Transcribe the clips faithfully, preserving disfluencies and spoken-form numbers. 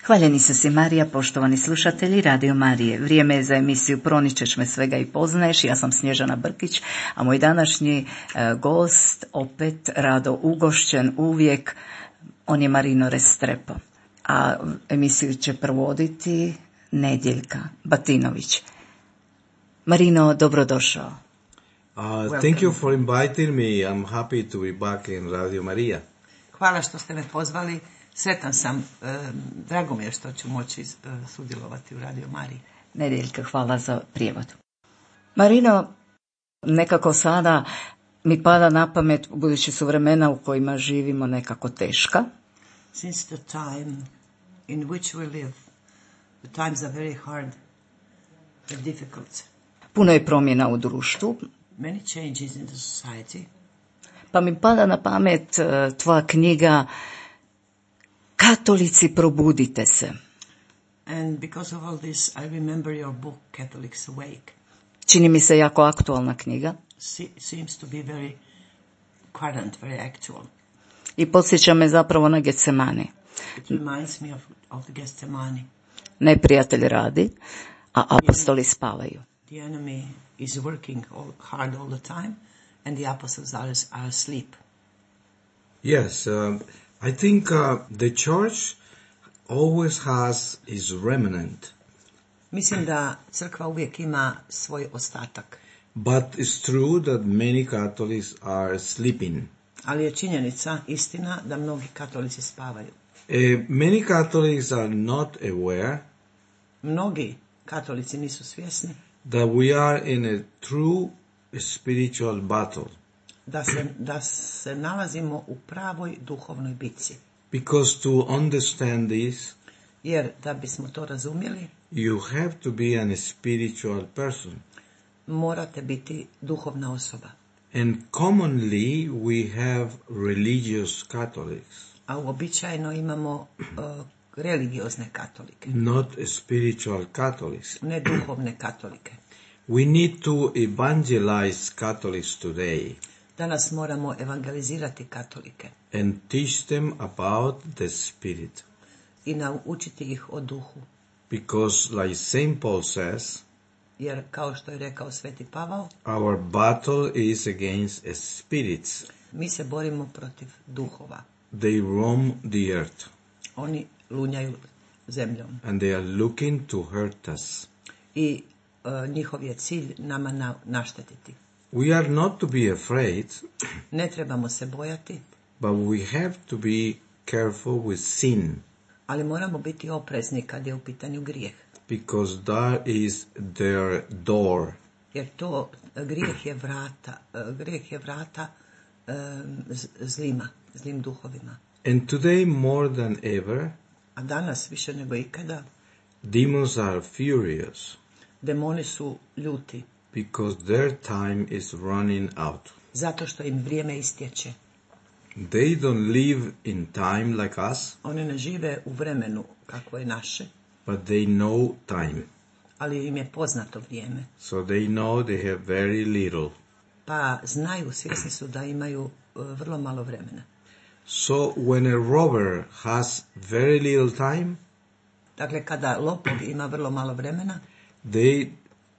Hvaljeni su si Marija, poštovani slušatelji Radio Marije. Vrijeme je za emisiju Proničeš me svega i poznaješ. Ja sam Snježana Brkić, a moj današnji e, gost, opet rado ugošćen uvijek, on je Marino Restrepo. A emisiju će provoditi Nedjeljka Batinović. Marino, dobrodošao. Uh, thank you for inviting me. I'm happy to be back in Radio Maria. Hvala što ste me pozvali. Sretan sam, e, drago mi je što ću moći e, sudjelovati u Radio Mariji. Nedjeljka, hvala za prijevod. Marino, nekako sada mi pada na pamet, budući su vremena u kojima živimo nekako teška. Since the time in which we live, the times are very hard and difficult. Puno je promjena u društvu. Many changes in the society. Pa mi pada na pamet tvoja knjiga Katolici, probudite se. And because of all this, I remember your book, Catholics Awake. Čini mi se jako aktualna knjiga. Se- seems to be very current, very actual. I podsjeća me zapravo na Getsemani. It reminds me of, of the Gethsemane. Neprijatelj radi, a apostoli spavaju. The enemy is working all, hard all the time, and the apostles are, are asleep. Yes, uh, I think uh, the church always has its remnant, Mislim da crkva uvijek ima svoj ostatak, but it's true that many Catholics are sleeping. ali je činjenica, istina, da mnogi katolici spavaju. Uh, many Catholics are not aware Mnogi katolici nisu svjesni that we are in a true spiritual battle, da se, da se nalazimo u pravoj duhovnoj bitci. because to understand this, Jer da bismo to razumjeli, you have to be a spiritual person. morate biti duhovna osoba. And commonly we have religious Catholics, A uobičajeno imamo uh, religiozne katolike, not spiritual Catholics. ne duhovne katolike. We need to evangelize Catholics today Danas moramo evangelizirati katolike and teach them about the Spirit. i naučiti ih o duhu. Because like Saint Paul says, Jer, kao što je rekao Sveti Pavao, our battle is against spirits. mi se borimo protiv duhova. They roam the earth Oni lunjaju zemljom and they are looking to hurt us. i uh, njihov je cilj nama na, naštetiti. We are not to be afraid, Ne trebamo se bojati, but we have to be careful with sin, ali moramo biti oprezni kad je u pitanju grijeh. because that is their door. Jer to uh, grijeh je vrata, uh, grijeh je vrata um, z- zlima, zlim duhovima. And today more than ever, A danas više nego ikada demons are furious demoni su ljuti because their time is running out. zato što im vrijeme istječe. They don't live in time like us, Oni ne žive u vremenu kakvo je naše, but they know time. ali im je poznato vrijeme. So they know they have very little. Pa znaju, svjesni su da imaju uh, vrlo malo vremena. So when a robber has very little time, Dakle, kada lopov ima vrlo malo vremena, they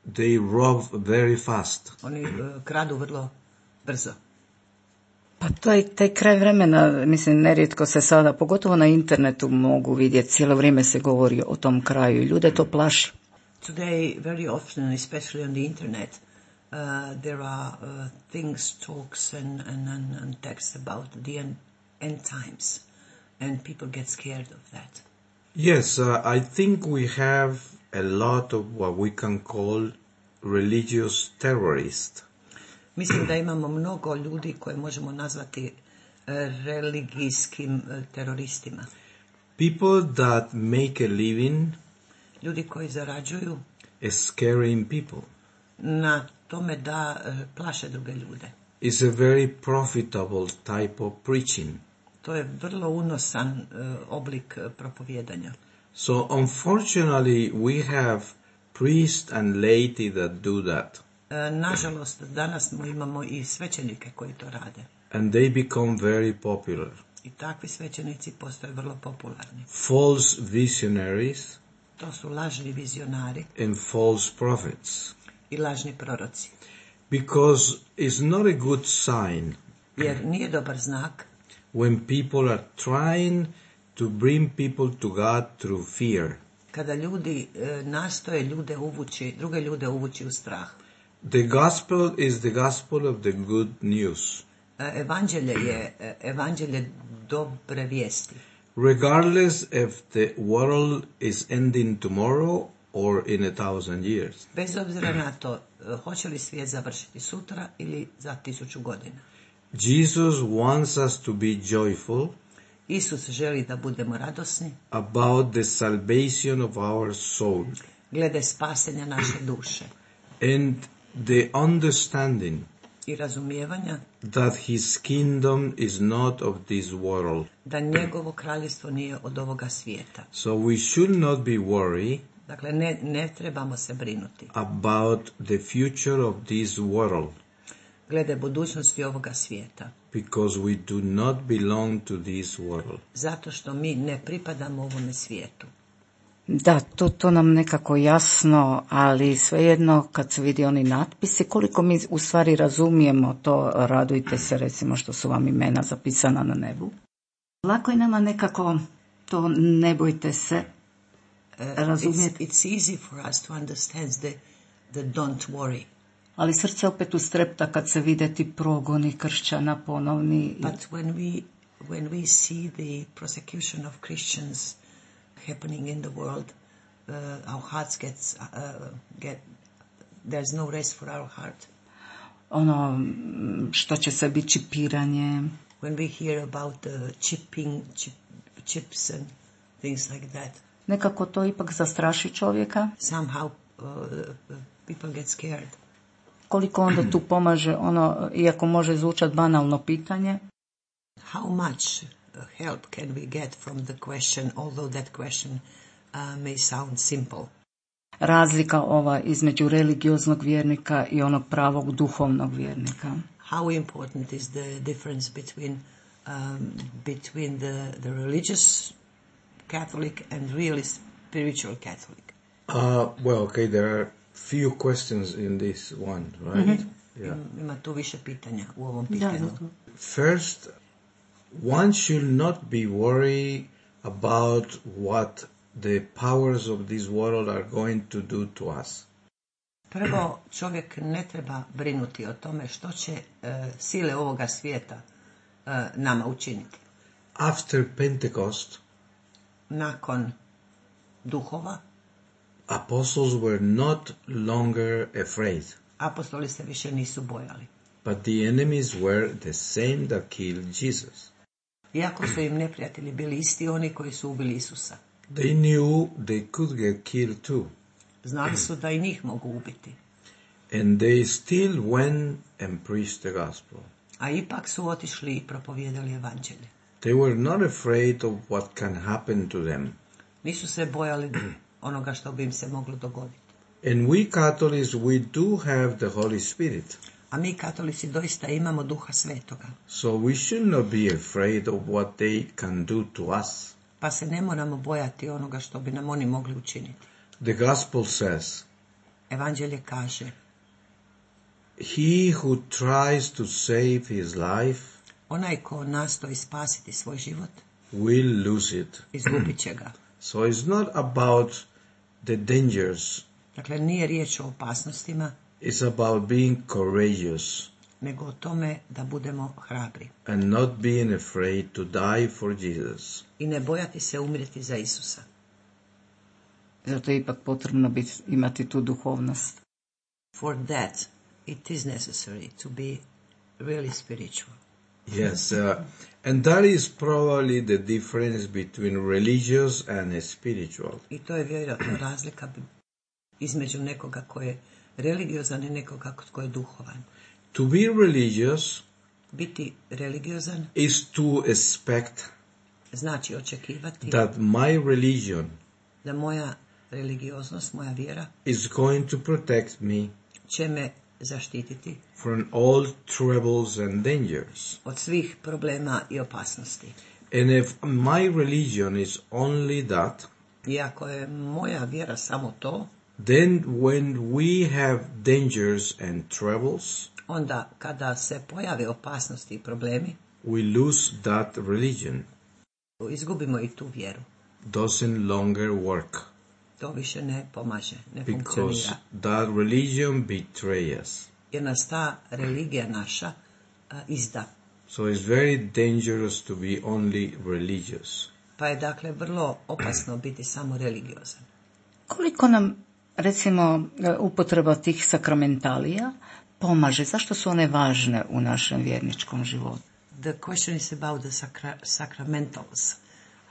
they rob very fast. oni uh, kradu vrlo brzo. Pa to je taj kraj vremena, mislim, nerijetko se sada, pogotovo na internetu mogu vidjeti, cijelo vrijeme se govori o tom kraju i ljude to plaši. Today, very often, especially on the internet, uh, there are uh, things, talks and, and, and, and texts about the end, end times. And people get scared of that. Yes, uh, I think we have a lot of what we can call religious terrorists. Mislim da imamo mnogo ljudi koje možemo nazvati uh, religijskim uh, teroristima. People that make a living Ljudi koji zarađuju is scaring people. na tome da uh, plaše druge ljude. It's a very profitable type of preaching. To je vrlo unosan uh, oblik uh, propovijedanja. So unfortunately we have priests and laity that do that. Uh, nažalost, danas smo imamo i svećenike koji to rade. And they become very popular. I takvi svećenici postaju vrlo popularni. False visionaries To su lažni vizionari and false prophets. i lažni proroci. Because it's not a good sign Jer nije dobar znak when people are trying to bring people to God through fear. kada ljudi e, nastoje ljude uvući, druge ljude uvući u strah. The gospel is the gospel of the good news. E, evanđelje je e, evanđelje dobre vijesti. Regardless if the world is ending tomorrow or in a thousand years. Bez obzira na to, e, hoće li svijet završiti sutra ili za tisuću godina. Jesus wants us to be joyful Isus želi da budemo radosni about the salvation of our soul glede spasenja naše duše and the understanding i razumijevanja that his kingdom is not of this world. da njegovo kraljevstvo nije od ovoga svijeta. So we should not be worried Dakle, ne, ne trebamo se brinuti about the future of this world glede budućnosti ovoga svijeta. because we do not belong to this world. Zato što mi ne pripadamo ovome svijetu. Da, to, to nam nekako jasno, ali svejedno kad se vidi oni natpisi, koliko mi u stvari razumijemo to, radujte se recimo što su vam imena zapisana na nebu. Lako je nama nekako to ne bojte se razumjeti. It's, it's easy for us to understand the, the don't worry. Ali srce opet ustrepta kad se vide ti progoni kršćana ponovni. But when we, when we see the persecution of Christians happening in the world, uh, our hearts gets, uh, get, there's no rest for our heart. Ono što će se biti čipiranje. When we hear about the chipping, chip, chips and things like that. Nekako to ipak zastraši čovjeka. Somehow uh, people get scared. Koliko onda tu pomaže ono, iako može zvučati banalno pitanje. How much help can we get from the question, although that question uh, may sound simple? Razlika ova između religioznog vjernika i onog pravog duhovnog vjernika. How important is the difference between um, between the, the religious Catholic and really spiritual Catholic? Uh, well, okay, there are few questions in this one, right? Mm-hmm. Yeah. Ima tu više pitanja u ovom pitanju. First, one should not be worried about what the powers of this world are going to do to us. Prvo, čovjek ne treba brinuti o tome što će uh, sile ovoga svijeta uh, nama učiniti. After Pentecost, nakon duhova, apostles were not longer afraid, apostoli se više nisu bojali. but the enemies were the same that killed Jesus. Iako su im neprijatelji bili isti oni koji su ubili Isusa. They knew they could get killed too. Znali su da i njih mogu ubiti. And they still went and preached the gospel. A ipak su otišli i propovijedali evanđelje. They were not afraid of what can happen to them. Nisu se bojali onoga što bi im se moglo dogoditi. And we Catholics, we do have the Holy Spirit. A mi katolici doista imamo Duha Svetoga. So we should not be afraid of what they can do to us. Pa se ne moramo bojati onoga što bi nam oni mogli učiniti. The gospel says, Evanđelje kaže, he who tries to save his life onaj ko nastoji spasiti svoj život, will lose it. izgubit će ga. So it's not about the dangers. Dakle, nije riječ o opasnostima, It's about being courageous nego o tome da budemo hrabri. and not being afraid to die for Jesus. I ne bojati se umrijeti za Isusa. Zato je ipak potrebno biti, imati tu duhovnost. For that, it is necessary to be really spiritual. Yes, uh, and that is probably the difference between religious and spiritual. I to je vjerojatno razlika bi- između nekoga ko je religiozan i nekoga ko je duhovan. To be religious Biti religiozan is to expect znači očekivati that my religion da moja religioznost, moja vjera is going to protect me će me zaštititi from all troubles and dangers. od svih problema i opasnosti. And if my religion is only that, I ako je moja vjera samo to, then when we have dangers and troubles, onda kada se pojave opasnosti i problemi, we lose that religion. izgubimo i tu vjeru. Doesn't longer work To više ne pomaže, ne because funkcionira. that religion betrays us. Jer nas ta religija naša a, izda. So it's very dangerous to be only religious. Pa je dakle vrlo opasno biti samo religiozan. Koliko nam, recimo, upotreba tih sakramentalija pomaže? Zašto su one važne u našem vjerničkom životu? The question is about the sacra- sacramentals.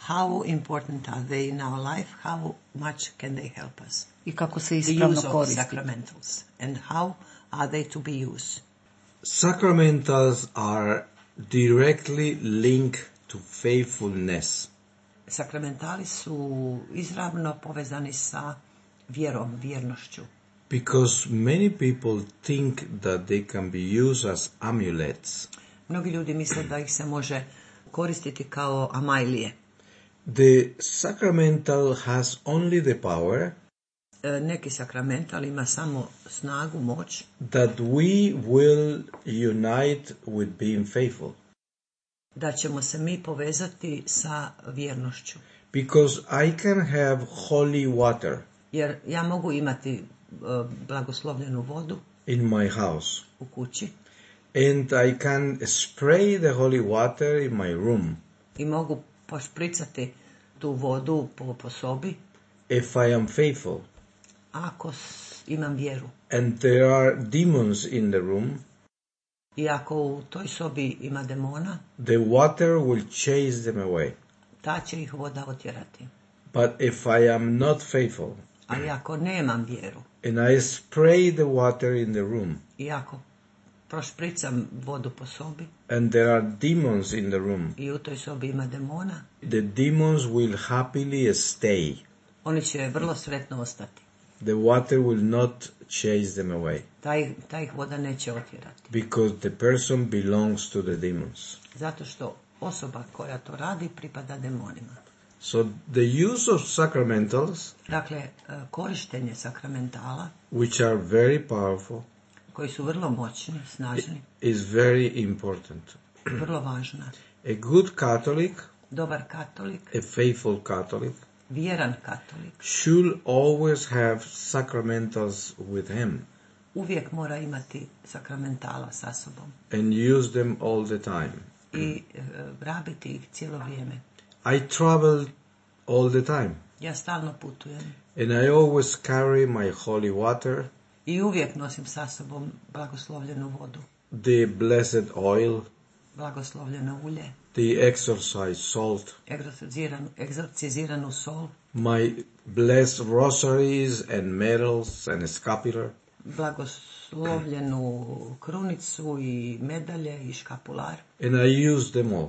How important are they in our life? How much can they help us? I kako se The ispravno use of koristiti? sacramentals. And how are they to be used? Sacramentals are directly linked to faithfulness. Sakramentali su izravno povezani sa vjerom, vjernošću. Because many people think that they can be used as amulets. Mnogi ljudi misle da ih se može koristiti kao amajlije. The sacramental has only the power E, Neki sakramental ima samo snagu, moć, that we will unite with being faithful. da ćemo se mi povezati sa vjernošću. Because I can have holy water Jer ja mogu imati e, blagoslovljenu vodu in my house, u kući and I can spray the holy water in my room. i mogu pošpricati tu vodu po, po sobi If I am faithful, ako s- imam vjeru. and there are demons in the room, I ako u toj sobi ima demona, the water will chase them away. ta će ih voda otjerati. But if I am not faithful, Ali ako nemam vjeru and I spray the water in the room, i ako prošpricam vodu po sobi and there are demons in the room, i u toj sobi ima demona, the demons will happily stay. oni će vrlo sretno ostati. The water will not chase them away, Taj, taj ih voda neće otjerati. because the person belongs to the demons. Zato što osoba koja to radi pripada demonima. So the use of sacramentals, Dakle, e, korištenje sakramentala, which are very powerful, koji su vrlo moćni, snažni, is very important. vrlo važna. A good Catholic, Dobar katolik, a faithful Catholic, vjeran katolik, should always have sacramentals with him uvijek mora imati sakramentala sa sobom and use them all the time. i e, rabiti ih cijelo vrijeme. I travel all the time, Ja stalno putujem and I always carry my holy water, i uvijek nosim sa sobom blagoslovljenu vodu, the blessed oil, blagoslovljeno ulje, the exorcise salt, egzorciziranu, egzorciziranu sol, my blessed rosaries and medals and scapular, blagoslovljenu krunicu i medalje i škapular and I use them all.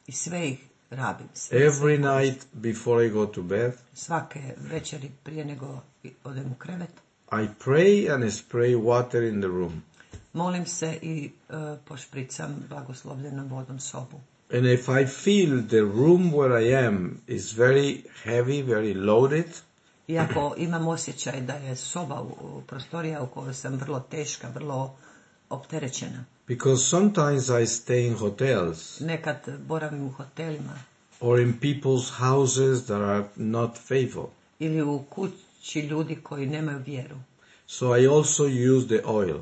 i sve ih rabim. Sve, Every sve koristim. night before I go to bed, Svake večeri prije nego odem u krevet, I pray and spray water in the room. molim se i e, pošpricam blagoslovljenom vodom sobu. And if I feel the room where I am is very heavy, very loaded, Iako imam osjećaj da je soba, u, u prostorija u kojoj sam vrlo teška, vrlo opterećena. because sometimes I stay in hotels Nekad boravim u hotelima or in people's houses that are not faithful. ili u kući ljudi koji nemaju vjeru. So I also use the oil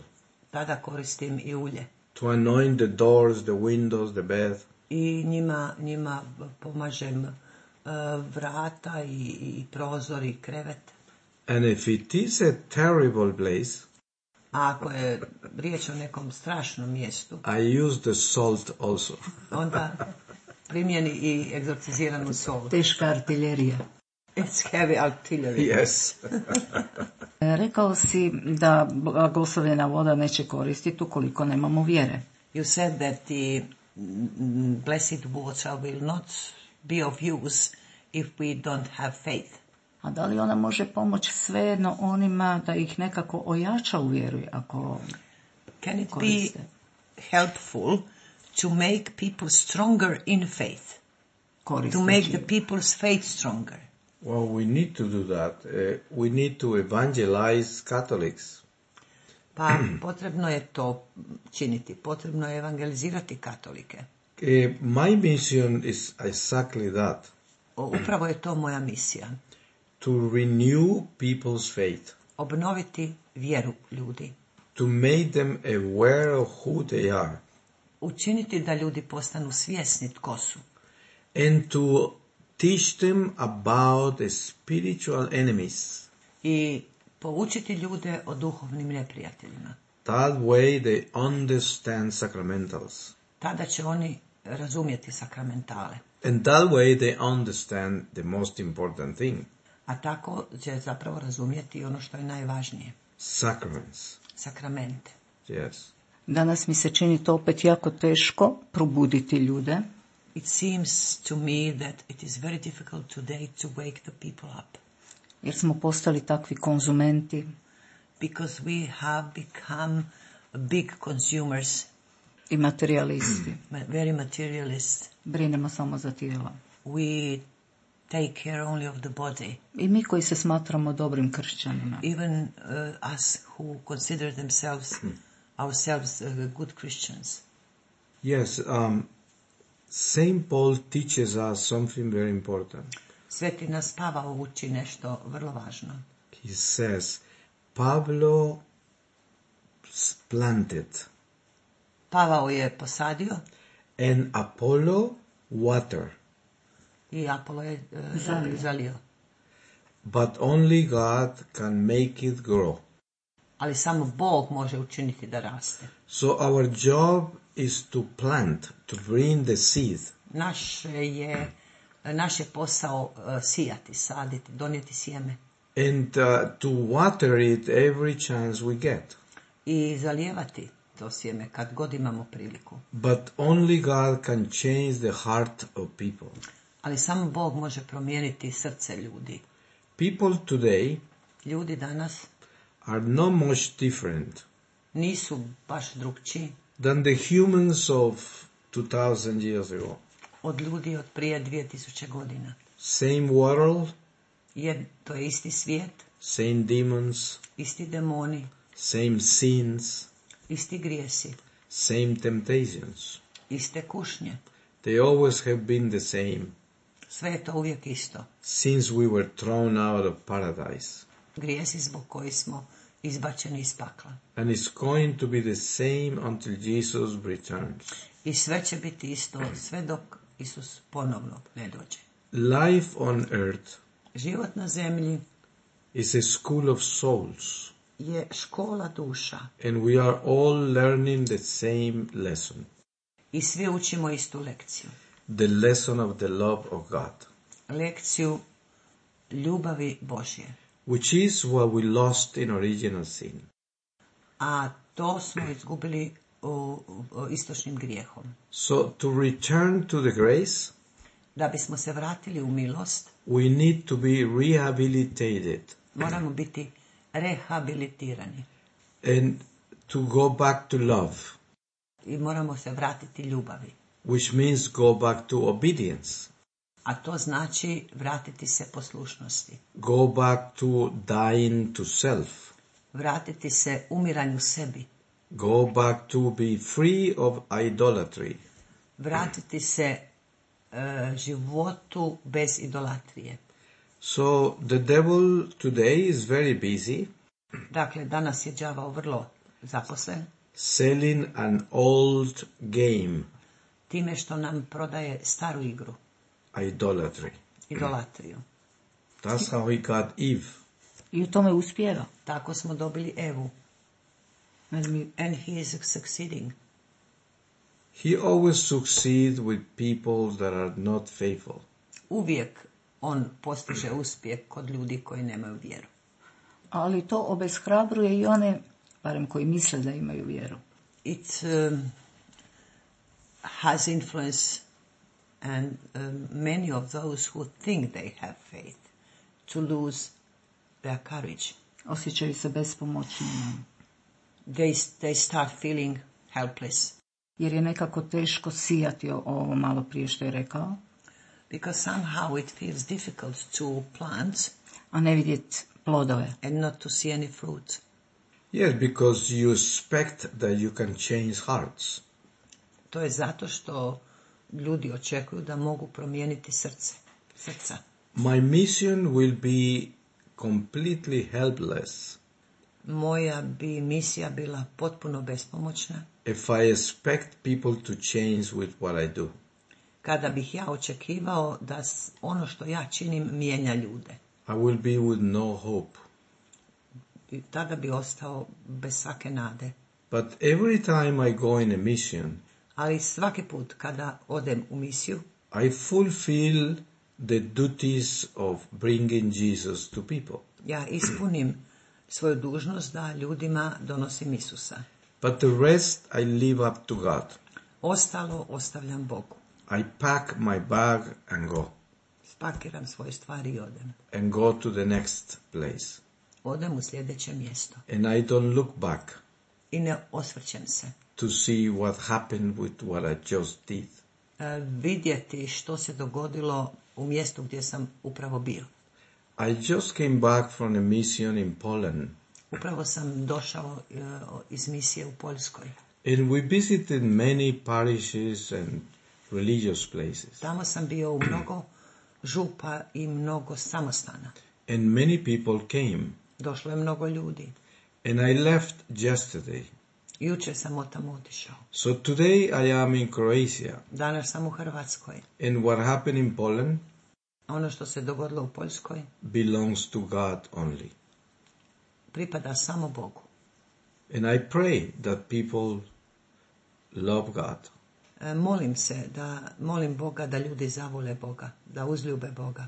Tada koristim i ulje. to anoint the doors, the windows, the bed. I njima, njima pomažem uh, vrata i, i prozor i krevet. And if it is a terrible place, A ako je riječ o nekom strašnom mjestu, I use the salt also. onda primjeni i egzorciziranu sol. Teška artiljerija. It's heavy artillery. Yes. Rekao si da blagoslovljena voda neće koristiti ukoliko nemamo vjere. You said that the mm, blessed water will not be of use if we don't have faith. A da li ona može pomoći svejedno onima da ih nekako ojača u vjeru ako Can it koriste? be helpful to make people stronger in faith? Koristeći. To make the people's faith stronger? Well, we need to do that. Uh, we need to evangelize Catholics. Pa potrebno je to činiti, potrebno je evangelizirati katolike. Uh, my mission is exactly that. O, upravo je to moja misija. To renew people's faith. Obnoviti vjeru ljudi. To make them aware of who they are. Učiniti da ljudi postanu svjesni tko su. And to teach them about the spiritual enemies. I poučiti ljude o duhovnim neprijateljima. That way they understand sacramentals. Tada će oni razumjeti sakramentale. And that way they understand the most important thing. A tako će zapravo razumjeti ono što je najvažnije. Sacraments. Sakramente. Yes. Danas mi se čini to opet jako teško probuditi ljude. It seems to me that it is very difficult today to wake the people up. Jer smo postali takvi konzumenti Because we have become big consumers, i materijalisti. very materialist. Brinemo samo za tijela. We take care only of the body. I mi koji se smatramo dobrim kršćanima. Even uh, us who consider themselves, ourselves uh, good Christians. Yes, um, Saint Paul teaches us something very important. Sveti nas Pavao uči nešto vrlo važno. He says, Pablo planted Pavao je posadio and Apollo water, i Apolo je uh, Zalio. zalio. but only God can make it grow. Ali samo Bog može učiniti da raste. So our job is to plant, to bring the seed. Naš je, naš je posao uh, sijati, saditi, donijeti sjeme And uh, to water it every chance we get. i zalijevati to sjeme kad god imamo priliku. But only God can change the heart of people. Ali samo Bog može promijeniti srce ljudi. People today Ljudi danas are not much different nisu baš drugčiji than the humans of two thousand years ago. od ljudi od prije dvije tisuće godina. Same world, Je, to je isti svijet, same demons, isti demoni, same sins, isti grijesi, same temptations. iste kušnje. They always have been the same Sve je to uvijek isto. since we were thrown out of paradise. Grijesi zbog koji smo izbačeni iz pakla. And it's going to be the same until Jesus returns. I sve će biti isto sve dok Isus ponovno ne dođe. Life on earth Život na zemlji is a school of souls, je škola duša and we are all learning the same lesson, i svi učimo istu lekciju. the lesson of the love of God, Lekciju ljubavi Božje. which is what we lost in original sin. A to smo izgubili u, u istočnim grijehom. So to return to the grace, Da bismo se vratili u milost, we need to be rehabilitated moramo biti rehabilitirani and to go back to love, i moramo se vratiti ljubavi. which means go back to obedience, A to znači vratiti se poslušnosti. go back to dying to self, Vratiti se umiranju sebi. go back to be free of idolatry. Vratiti se e, životu bez idolatrije. So the devil today is very busy Dakle, danas je đavao vrlo zaposlen selling an old game, time što nam prodaje staru igru, idolatry. idolatriju. That's how he got Eve. I u tome uspijeva. Tako smo dobili Evu. And he is succeeding. He always succeeds with people that are not faithful. Uvijek on postiže uspjeh kod ljudi koji nemaju vjeru. Ali to obeshrabruje i one, barem koji misle da imaju vjeru. It um, has influence and um, many of those who think they have faith to lose their courage. Osjećaju se bespomoćnim. They, they start feeling helpless. Jer je nekako teško sijati ovo malo prije što je rekao. Because somehow it feels difficult to plant. A ne vidjeti plodove. And not to see any fruit. Yes, because you expect that you can change hearts. To je zato što ljudi očekuju da mogu promijeniti srce, srca. My mission will be completely helpless. Moja bi misija bila potpuno bespomoćna. If I expect people to change with what I do. Kada bih ja očekivao da ono što ja činim mijenja ljude. I will be with no hope. I tada bi ostao bez svake nade. But every time I go in a mission, ali svaki put kada odem u misiju, I fulfill the duties of bringing Jesus to people. Ja ispunim svoju dužnost da ljudima donosim Isusa. But the rest I leave up to God. Ostalo ostavljam Bogu. I pack my bag and go. Spakiram svoje stvari i odem. And go to the next place. Odem u sljedeće mjesto. And I don't look back. I ne osvrćem se. To see what happened with what I just did. Uh, vidjeti što se dogodilo u mjestu gdje sam upravo bio. I just came back from a mission in Poland. Upravo sam došao uh, iz misije u Poljskoj. And we visited many parishes and religious places. Tamo sam bio u mnogo župa i mnogo samostana. And many people came. Došlo je mnogo ljudi. And I left yesterday. Jučer sam od tamo otišao. So today I am in Croatia. Danas sam u Hrvatskoj. And what happened in Poland ono što se dogodilo u Poljskoj belongs to God only. Pripada samo Bogu. And I pray that people love God. E, molim se da molim Boga da ljudi zavole Boga, da uzljube Boga.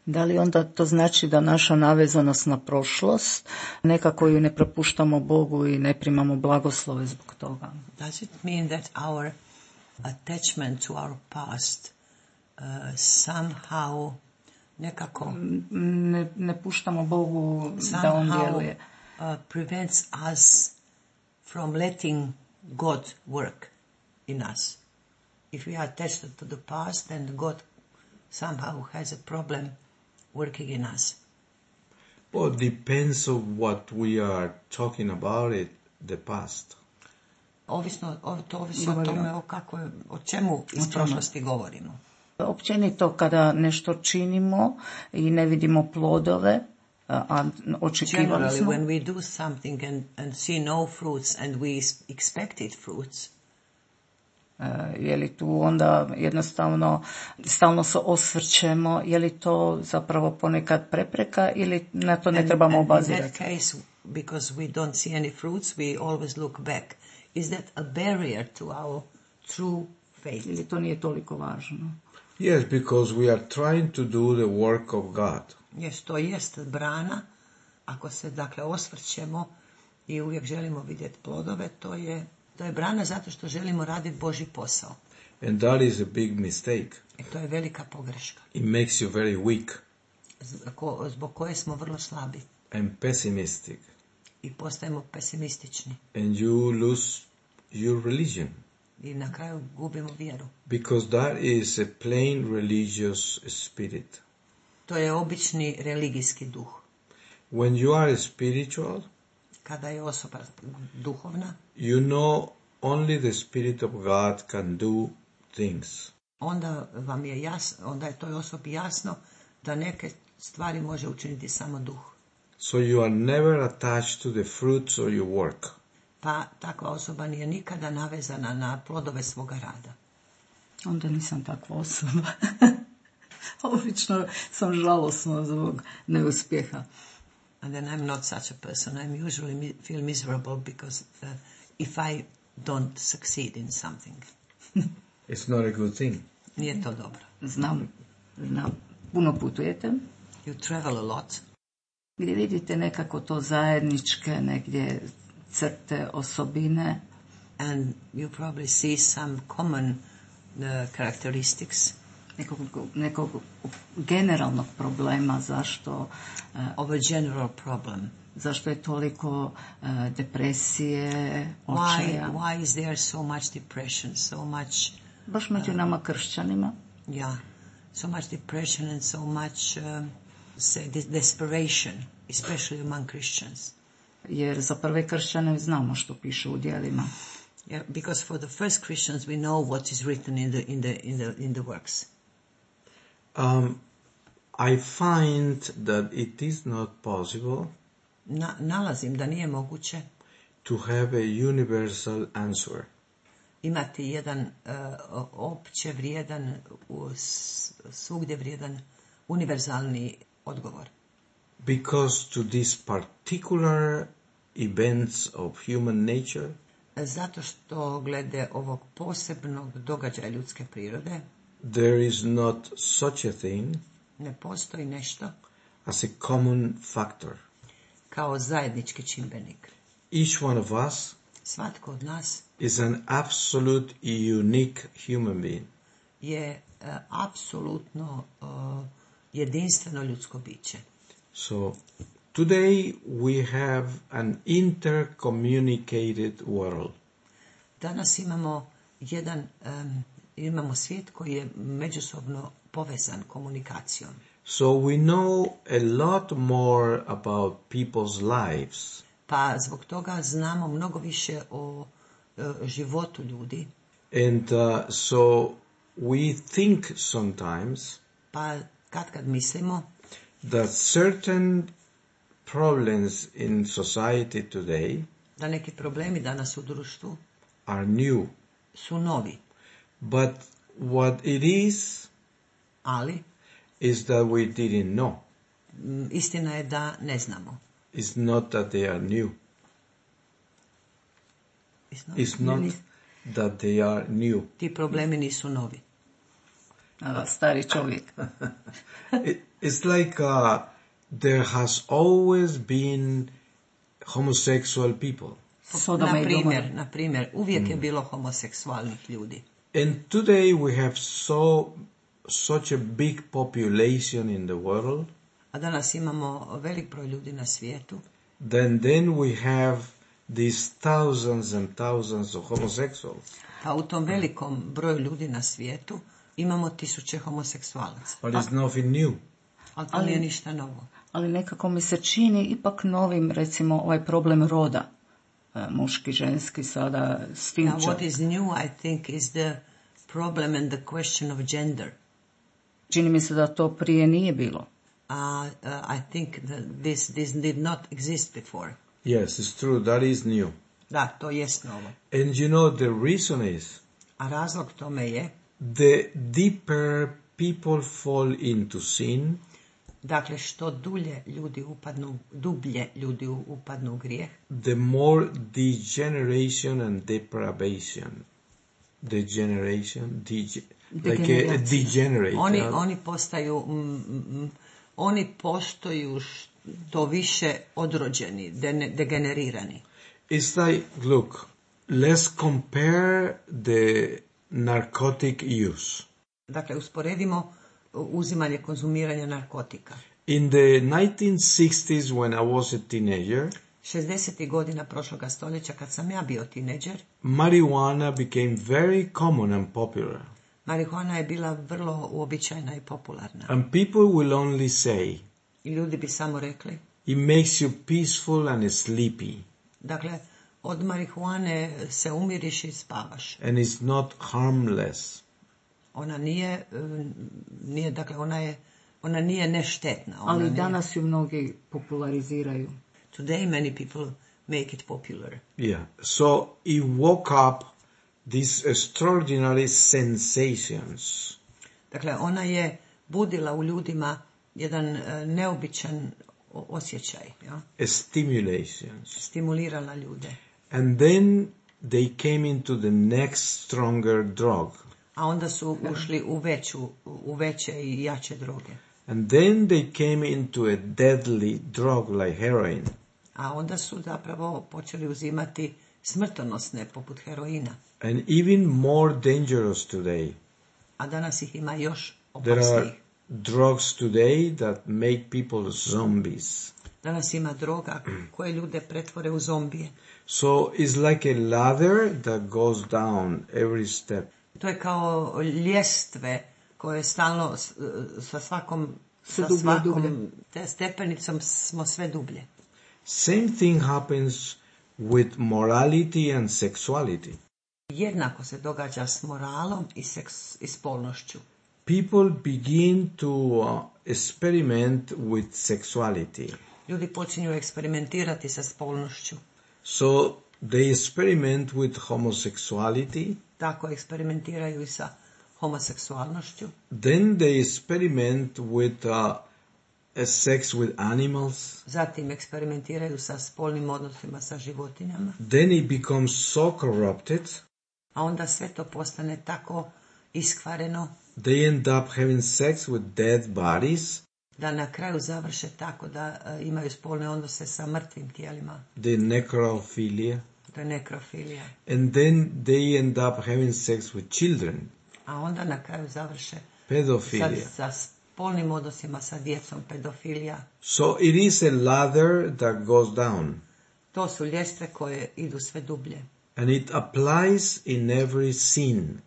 Da li onda to znači da naša navezanost na prošlost, nekako ju ne propuštamo Bogu i ne primamo blagoslove zbog toga? Does it mean that our attachment to our past uh, somehow nekako ne, ne puštamo Bogu da on djeluje? Uh, prevents us from letting God work in us. If we are attached to the past, then God somehow has a problem working in us. Well, it depends on what we are talking about it, the past. Ovisno, to ovisi o tome o, kako, o čemu iz prošlosti govorimo. Općenito kada nešto činimo i ne vidimo plodove, a očekivali smo. Generally, when we do something and, and see no fruits and we expected fruits, je li tu onda jednostavno stalno se osvrćemo, je li to zapravo ponekad prepreka ili na to ne and, trebamo and obazirati? In that case, because we don't see any fruits, we always look back. Is that a barrier to our true faith? Ili to nije toliko važno? Yes, because we are trying to do the work of God. Yes, to jest brana. Ako se dakle osvrćemo i uvijek želimo vidjeti plodove, to je To je brana zato što želimo raditi Božji posao. And that is a big mistake. I to je velika pogreška. It makes you very weak. Zbog koje smo vrlo slabi. And pessimistic. I postajemo pesimistični. And you lose your religion. I na kraju gubimo vjeru. Because that is a plain religious spirit. To je obični religijski duh. When you are spiritual, kada je osoba duhovna, you know only the Spirit of God can do things. Onda vam je jasno, onda je toj osobi jasno da neke stvari može učiniti samo duh. So you are never attached to the fruits of your work. Pa takva osoba nije nikada navezana na plodove svoga rada. Onda nisam takva osoba. Obično sam žalosna zbog neuspjeha. And then I'm not such a person. I'm usually mi- feel miserable because uh, if I don't succeed in something. It's not a good thing. Nije to dobro. Znam, znam. Puno putujete, You travel a lot. gdje vidite nekako to zajedničke, negdje crte, osobine. And you probably see some common uh, characteristics Nekog, nekog generalnog problema zašto, uh, of a general problem. zašto je toliko uh, depresije, Why, očaja. why is there so much depression, so much, Baš među nama kršćanima. yeah, so much depression and so much, um, say, des- desperation, especially among Christians? Jer za prve kršćane znamo što piše u djelima. Yeah, because for the first Christians we know what is written in the in the in the in the works. Um, I find that it is not possible Na, nalazim da nije moguće to have a universal answer. imati jedan uh, opće vrijedan, u s- svugdje vrijedan, univerzalni odgovor. Because to these particular events of human nature, Zato što glede ovog posebnog događaja ljudske prirode there is not such a thing ne postoji nešto as a common factor. kao zajednički čimbenik. Each one of us Svatko od nas is an absolute unique human being. je uh, apsolutno uh, jedinstveno ljudsko biće. So today we have an intercommunicated world. Danas imamo jedan, um, imamo svijet koji je međusobno povezan komunikacijom. So we know a lot more about people's lives. Pa zbog toga znamo mnogo više o uh, životu ljudi. And uh, so we think sometimes Pa kad kad mislimo that certain problems in society today da neki problemi danas u društvu are new. su novi, But what it is, ali is that we didn't know. m, istina je da ne znamo. It's not that they are new. It's not- It's not that they are new. Ti problemi nisu novi. A, stari čovjek. It, it's like uh, there has always been homosexual people. Sodoma Na i primjer, Gomora. na primjer, uvijek je bilo homoseksualnih ljudi. And today we have so such a big population in the world. A danas imamo velik broj ljudi na svijetu. Then then we have these thousands and thousands of homosexuals. Pa u tom velikom broju ljudi na svijetu imamo tisuće homoseksualaca. But it's nothing new. Ali to Ali- nije ništa novo. Ali nekako mi se čini ipak novim, recimo, ovaj problem roda. E, Muški, ženski, sada s tim Now, what će- is new, I think, is the problem and the question of gender. Čini mi se da to prije nije bilo. Uh, uh, I think that this, this did not exist before. Yes, it's true. That is new. Da, to jest novo. And you know the reason is A razlog tome je, the deeper people fall into sin, dakle, što dulje ljudi upadnu, dublje ljudi u- upadnu u grijeh, the more degeneration and depravation. Degeneration, dege- like a, a Degeneracija. degenerate. oni, huh? oni postaju, mm, mm, oni postaju što više odrođeni, dene- degenerirani. It's like, look, let's compare the narcotic use. Dakle, usporedimo uzimanje, konzumiranje narkotika. In the nineteen sixties, when I was a teenager, šezdesetih godina prošloga stoljeća, kad sam ja bio tineđer, marijuana became very common and popular. marihuana je bila vrlo uobičajena i popularna. And people will only say, I ljudi bi samo rekli, it makes you peaceful and sleepy, dakle, od marihuane se umiriš i spavaš. and it's not harmless. Ona nije, e, nije dakle, ona je, ona nije neštetna. Ona Ali nije- danas ju mnogi populariziraju. Today many people make it popular. Yeah. So it woke up these extraordinary sensations. Dakle, ona je budila u ljudima jedan e, neobičan osjećaj, ja? a stimulations. Stimulirala ljude. And then they came into the next stronger drug. A onda su ušli u veću, u veće i jače droge. And then they came into a deadly drug like heroin. A onda su zapravo počeli uzimati smrtonosne, poput heroina. And even more dangerous today. A danas ih ima još There opasnijih. are drugs today that make people zombies. Danas ima droga koje ljude pretvore u zombije. So it's like a ladder that goes down every step. To je kao ljestve koje stalno s- sa svakom, Sve sa dublje i svakom dublje. te stepenicom smo sve dublje. Same thing happens with morality and sexuality. Jednako se događa s moralom i, seks, i spolnošću. People begin to uh, experiment with sexuality. Ljudi počinju eksperimentirati sa spolnošću. So they experiment with homosexuality. Tako eksperimentiraju i sa homoseksualnošću. Then they experiment with uh, a sex with animals. Zatim eksperimentiraju sa spolnim odnosima sa životinjama. Then it becomes so corrupted, A onda sve to postane tako iskvareno they end up having sex with dead bodies. da na kraju završe tako da e, imaju spolne odnose sa mrtvim tijelima. The necrophilia. To je nekrofilija. And then they end up having sex with children. A onda na kraju završe sa, Pedophilia. sa spolnim odnosima sa djecom, pedofilija. So it is a ladder that goes down. To su ljestve koje idu sve dublje. And it applies in every sin.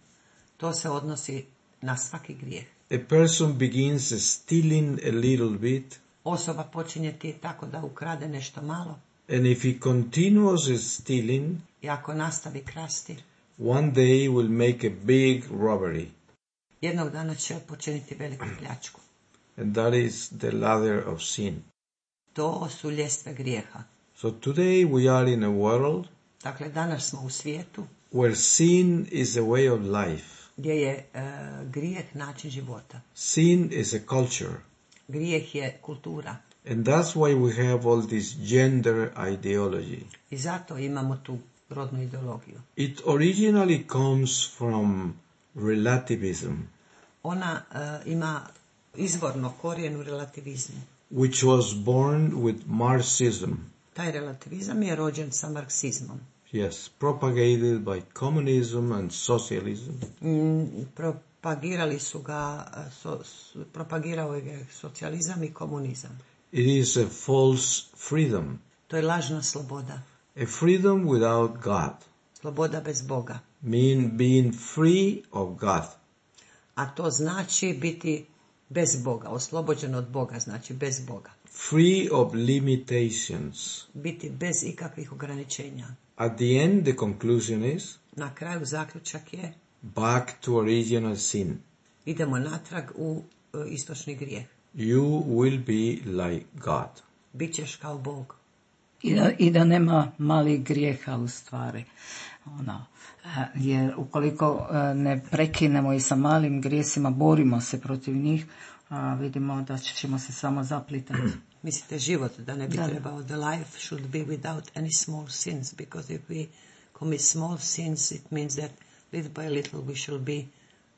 To se odnosi na svaki grijeh. A person begins stealing a little bit, Osoba počinje ti tako da ukrade nešto malo and if he continues stealing, i ako nastavi krasti, one day will make a big robbery. jednog dana će počiniti veliku pljačku. And that is the ladder of sin. To su ljestve grijeha. So today we are in a world Dakle, danas smo u svijetu where sin is a way of life. gdje je e, grijeh način života. Sin is a culture. Grijeh je kultura. And that's why we have all this gender ideology. I zato imamo tu rodnu ideologiju. It originally comes from relativism, Ona e, ima izvorno korijen u relativizmu. which was born with Marxism. Taj relativizam je rođen sa marksizmom. Yes, propagated by communism and socialism. Mm, propagirali su ga, e, so, s- propagirao je ga socijalizam i komunizam. It is a false freedom, To je lažna sloboda. a freedom without God, Sloboda bez Boga. mean being free of God. A to znači biti bez Boga. Oslobođen od Boga znači bez Boga. Free of limitations. Biti bez ikakvih ograničenja. At the end, the conclusion is Na kraju zaključak je back to original sin. idemo natrag u e, istočni grijeh. You will be like God. Bićeš kao Bog. I da, I da nema malih grijeha u stvari. Ono, e, jer ukoliko e, ne prekinemo i sa malim grijesima, borimo se protiv njih, a vidimo da ćemo se samo zaplitati. Mislite život da ne bi Da. trebao. The life should be without any small sins. Because if we commit small sins, it means that little by little we shall be,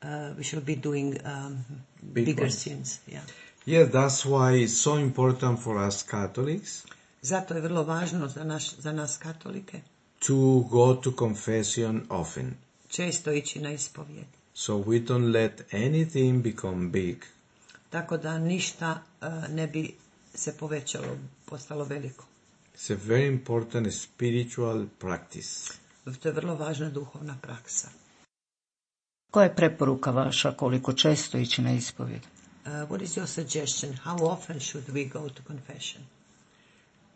uh, we shall be doing um, Big bigger ones. sins. Yeah. Yeah, that's why it's so important for us Catholics Zato je vrlo važno za, naš, za nas katolike to go to confession often. često ići na ispovijed. So we don't let anything become big. Tako da ništa uh, ne bi se povećalo, postalo veliko. It's a very important spiritual practice. To je vrlo važna duhovna praksa. Koja je preporuka vaša koliko često ići na ispovjed? Uh, what is your suggestion? How often should we go to confession?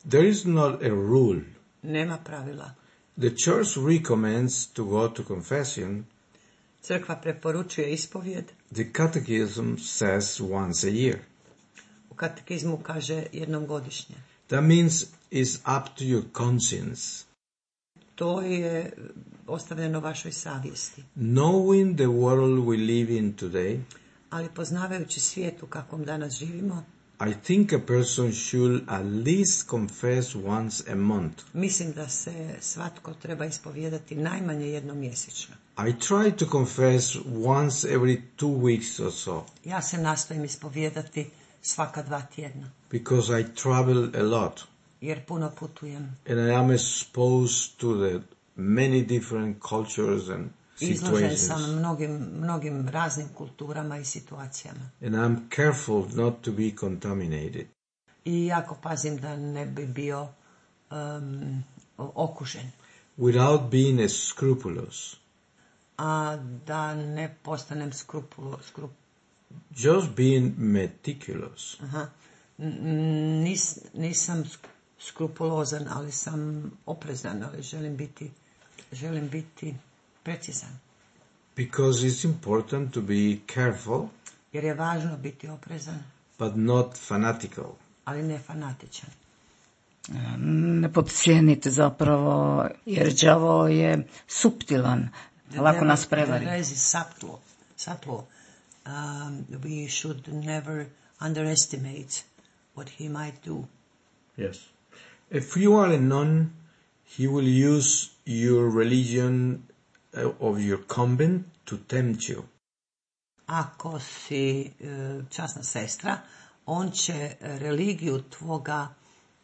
There is not a rule. Nema pravila. The church recommends to go to confession. Crkva preporučuje ispovjed. The catechism says once a year. U katekizmu kaže jednom godišnje. That means it's up to your conscience. To je ostavljeno vašoj savjesti. Knowing the world we live in today, Ali poznavajući svijet u kakvom danas živimo, I think a person should at least confess once a month. Mislim da se svatko treba ispovijedati najmanje jednom mjesečno. I try to confess once every two weeks or so. Ja se nastojim ispovijedati svaka dva tjedna. Because I travel a lot. Jer puno putujem. And I am exposed to the many different cultures and Izložen situations. sam mnogim, mnogim raznim kulturama i situacijama. And I'm careful not to be contaminated. I jako pazim da ne bi bio um, okužen. Without being scrupulous. A da ne postanem skrupulo, skrup... Just being meticulous. Aha. Nis, nisam skrupulozan, ali sam oprezan, ali želim biti, želim biti precizan. Because it's important to be careful. Jer je važno biti oprezan. But not fanatical. Ali ne fanatičan. Ne podcijenite zapravo, jer đavo je suptilan, lako nas prevari. The is subtle, subtle. Um, we should never underestimate what he might do. Yes. If you are a nun, he will use your religion of your convent to tempt you. Ako si uh, časna sestra, on će religiju tvoga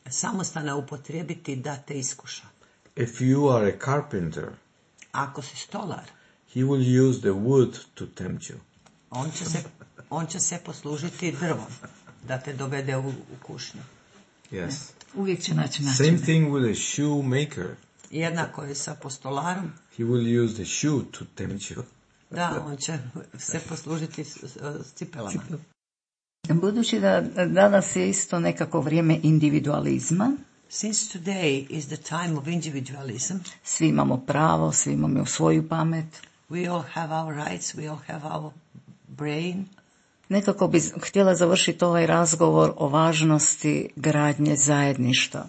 samostana upotrijebiti da te iskuša. If you are a carpenter, ako si stolar, he will use the wood to tempt you. On će se, on će se poslužiti drvom da te dovede u, u kušnju. Yes. Uvijek će naći način. Same thing with a shoemaker. Jednako je sa postolarom. He will use the shoe to tempt you. Da, on će se poslužiti s, s cipelama. Budući da danas je isto nekako vrijeme individualizma. Since today is the time of individualism. Svi imamo pravo, svi imamo svoju pamet. We all have our rights, we all have our brain. Nekako bi htjela završiti ovaj razgovor o važnosti gradnje zajedništva.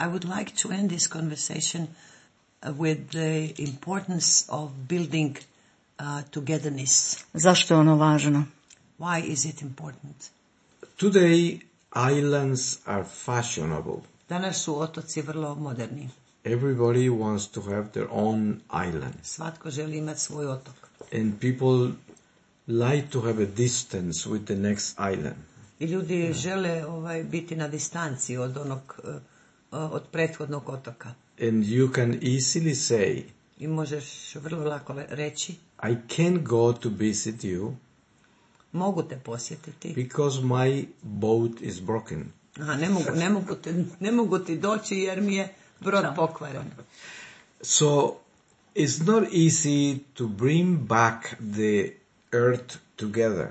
I would like to end this conversation with the importance of building uh, togetherness. Zašto je ono važno? Why is it important? Today, islands are fashionable. Danas su otoci vrlo moderni. Everybody wants to have their own island. Svatko želi imati svoj otok. And people like to have a distance with the next island. I ljudi yeah. žele ovaj, biti na distanci od onog, uh, od prethodnog otoka. And you can easily say, I možeš vrlo lako reći, I can't go to visit you. Mogu te posjetiti. Because my boat is broken. Aha, ne mogu, ne mogu, te, ne mogu ti doći jer mi je brod pokvaren. So, it's not easy to bring back the earth together.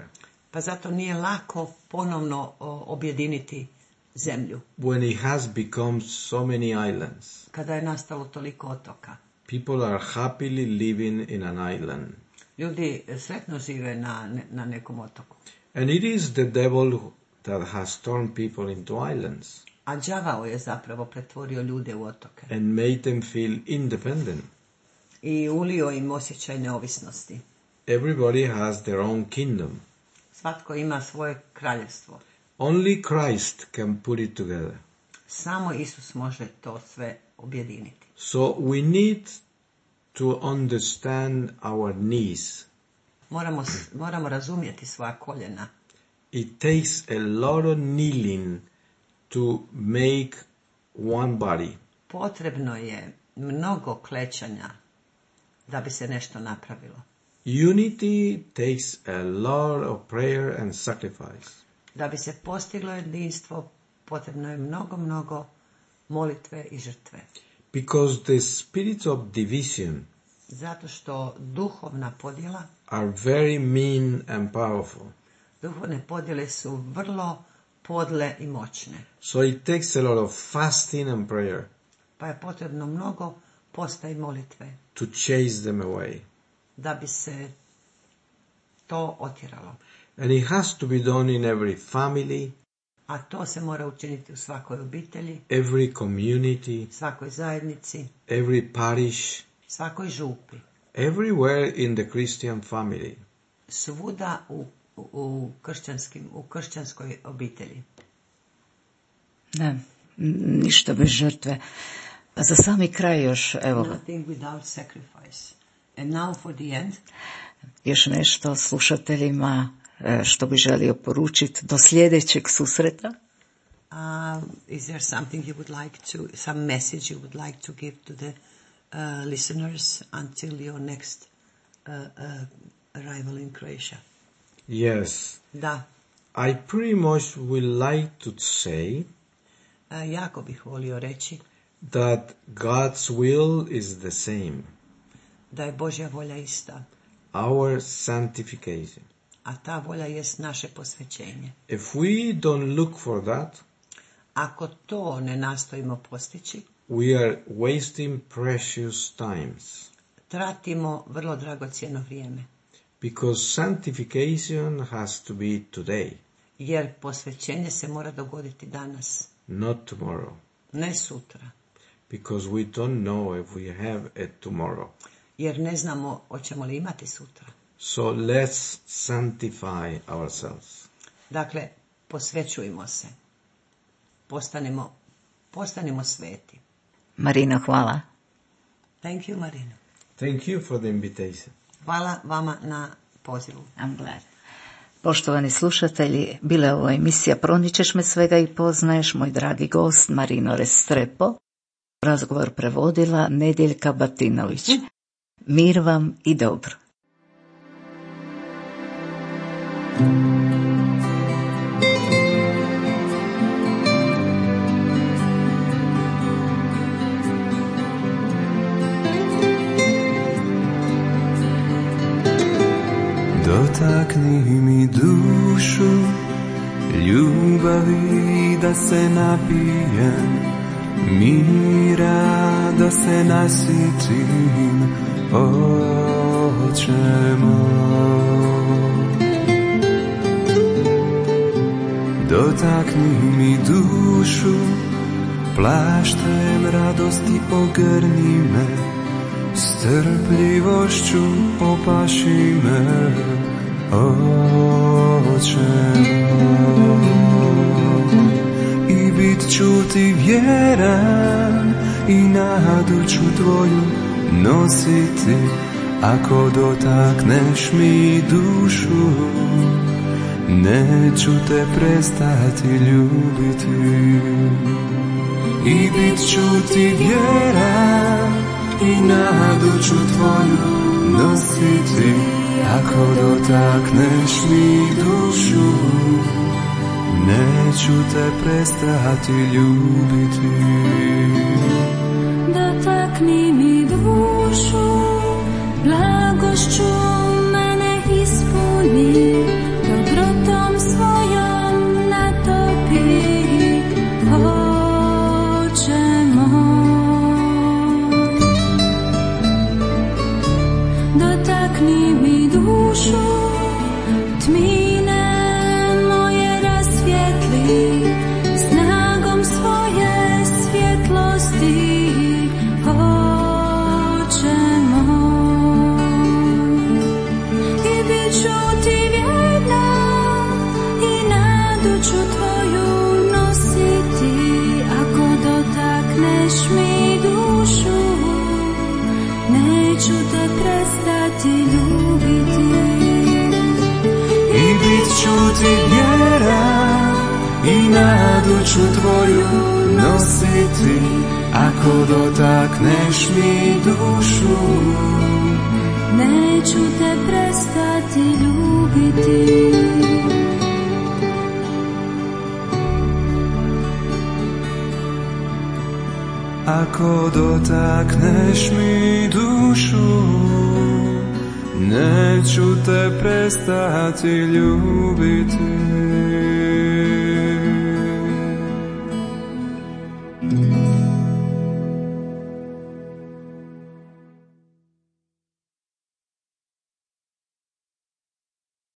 Pa zato nije lako ponovno o, objediniti zemlju. When it has become so many islands. Kada je nastalo toliko otoka. People are happily living in an island. Ljudi sretno žive na, na nekom otoku. And it is the devil that has turned people into islands. A đavao je zapravo pretvorio ljude u otoke. And made them feel independent. I ulio im osjećaj neovisnosti. Everybody has their own kingdom. Svatko ima svoje kraljevstvo. Only Christ can put it together. Samo Isus može to sve objediniti. So we need to understand our knees. Moramo, moramo razumjeti svoja koljena. It takes a lot of kneeling to make one body. Potrebno je mnogo klećanja da bi se nešto napravilo. Unity takes a lot of prayer and sacrifice. Da bi se postiglo jedinstvo, potrebno je mnogo, mnogo molitve i žrtve. Because the spirits of division Zato što duhovna podjela are very mean and powerful. Duhovne podjele su vrlo podle i moćne. So it takes a lot of fasting and prayer. Pa je potrebno mnogo posta i molitve. To chase them away. Da bi se to otjeralo. And it has to be done in every family. A to se mora učiniti u svakoj obitelji. Every community. Svakoj zajednici. Every parish. Svakoj župi. Everywhere in the Christian family. Svuda u u, u, kršćanskim, u kršćanskoj obitelji. Ne, ništa bez žrtve. A za sami kraj još, evo... Nothing without sacrifice. And now for the end. Još nešto slušateljima što bi želio poručiti do sljedećeg susreta. Uh, is there something you would like to, some message you would like to give to the uh, listeners until your next uh, uh, arrival in Croatia? Yes. Da. I pretty much would like to say Uh, jako bih volio reći that God's will is the same. Da je Božja volja ista. Our sanctification. A ta volja jest naše posvećenje. If we don't look for that, ako to ne nastojimo postići, we are wasting precious times. Tratimo vrlo dragocjeno vrijeme. Because sanctification has to be today. Jer posvećenje se mora dogoditi danas. Not tomorrow. Ne sutra. Because we don't know if we have a tomorrow. Jer ne znamo hoćemo li imati sutra. So let's sanctify ourselves. Dakle, posvećujmo se. Postanemo, postanemo sveti. Marino, hvala. Thank you, Marino. Thank you for the invitation. Hvala vama na pozivu. I'm glad. Poštovani slušatelji, bila je ovo emisija Proničeš me svega i poznaješ, moj dragi gost Marino Restrepo. Razgovor prevodila Nedjeljka Batinović. Mir vam i dobro. Dotakni mi dušu ljubavi da se napijem, mira da se nasitim, Oče moj. Dotakni mi dušu, plaštem radosti ogrni me, strpljivošću opaši me, Oče moj. I bit ću ti vjeran i nadu ću tvoju nositi, ako dotakneš mi dušu, neću te prestati ljubiti. I bit ću ti vjeran i nadu ću tvoju nositi, ako dotakneš mi dušu, neću te prestati ljubiti. Dotakni mi dušu, blagošću mene ispuni, dobrotom svojom natopi, Oče moj. Dotakni mi dušu, tmine moje rasvijetli, snagom svoje svjetlosti, Oče moj. I bit ću ti vjerna i nadu ću tvoju nositi, ako dotakneš mi dušu, neću te prestati ljubiti. I bit ću ti vjeran i nadu ću tvoju nositi, ako dotakneš mi dušu, neću te prestati ljubiti. ako dotakneš mi dušu, neću te prestati ljubiti.